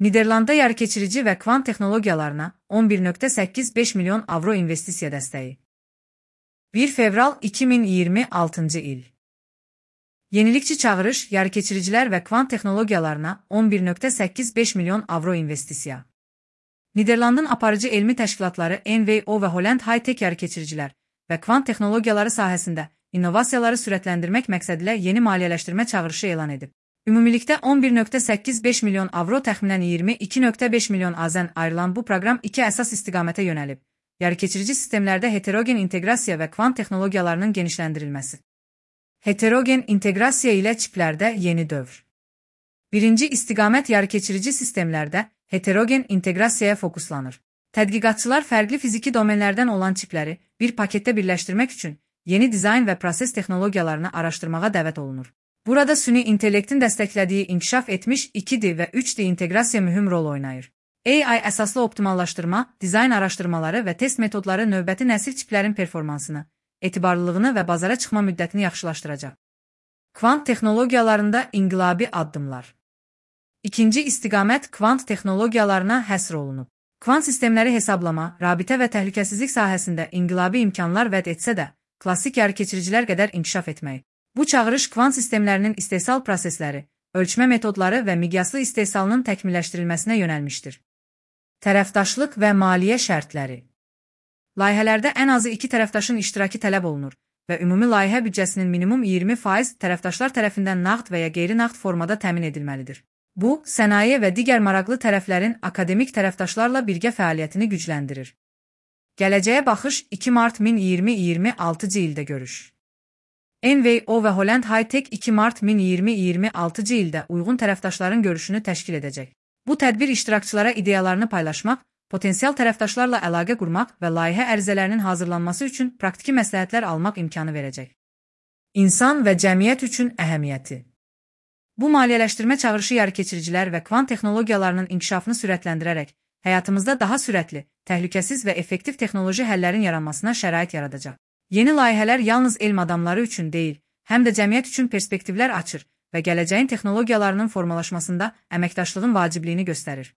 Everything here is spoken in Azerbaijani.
Niderlandda yerkeçirici və kvant texnologiyalarına 11,85 milyon avro investisiya dəstəyi. 1 fevral 2026 il. Yenilikçi çağırış, yerkeçiricilər və kvant texnologiyalarına 11,85 milyon avro investisiya. Niderlandın aparıcı elmi təşkilatları NVO və Holland High-Tech yerkeçiricilər və kvant texnologiyaları sahəsində innovasiyaları sürətləndirmək məqsədilə yeni maliyyələşdirmə çağırışı elan edib. Ümumilikdə 11,85 milyon avro təxminən 22,5 milyon AZN ayrılan bu proqram iki əsas istiqamətə yönəlib. Yerkeçirici sistemlərdə heterogen inteqrasiya və kvant texnologiyalarının genişləndirilməsi. Heterogen inteqrasiya ilə çiplərdə yeni dövr. Birinci istiqamət yerkeçirici sistemlərdə heterogen inteqrasiyaya fokuslanır. Tədqiqatçılar fərqli fiziki domenlərdən olan çipləri bir paketdə birləşdirmək üçün yeni dizayn və proses texnologiyalarını araşdırmağa dəvət olunur. Burada süni intellektin dəstəklədiyi inkişaf etmiş 2D və 3D inteqrasiya mühüm rol oynayır. AI əsaslı optimallaşdırma, dizayn araşdırmaları və test metodları növbəti nəsil çiplərin performansını, etibarlılığını və bazara çıxma müddətini yaxşılaşdıracaq. Kvant texnologiyalarında inqilabi addımlar. İkinci istiqamət kvant texnologiyalarına həsr olunub. Kvant sistemləri hesablama, rabitə və təhlükəsizlik sahəsində inqilabi imkanlar vəd etsə də, klassik yerkeçiricilər qədər inkişaf etməyi. Bu çağırış kvant sistemlərinin istehsal prosesləri, ölçmə metodları və miqyaslı istehsalının təkmilləşdirilməsinə yönəlmişdir. Tərəfdaşlıq və maliyyə şərtləri. Layihələrdə ən azı iki tərəfdaşın iştirakı tələb olunur və ümumi layihə büdcəsinin minimum 20% tərəfdaşlar tərəfindən nağd və ya qeyri-nağd formada təmin edilməlidir. Bu, sənaye və digər maraqlı tərəflərin akademik tərəfdaşlarla birgə fəaliyyətini gücləndirir. Gələcəyə baxış 2 mart 2026 ildə görüş. NVO və Holland High-Tech 2 mart 2026 ildə uyğun tərəfdaşların görüşünü təşkil edəcək. Bu tədbir iştirakçılara ideyalarını paylaşmaq, potensial tərəfdaşlarla əlaqə qurmaq və layihə ərizələrinin hazırlanması üçün praktiki məsləhətlər almaq imkanı verəcək. İnsan və cəmiyyət üçün əhəmiyyəti. Bu maliyyələşdirmə çağırışı yerkeçiricilər və kvant texnologiyalarının inkişafını sürətləndirərək, həyatımızda daha sürətli, təhlükəsiz və effektiv texnoloji həllərin yaranmasına şərait yaradacaq. Yeni layihələr yalnız elm adamları üçün deyil, həm də cəmiyyət üçün perspektivlər açır və gələcəyin texnologiyalarının formalaşmasında əməkdaşlığın vacibliyini göstərir.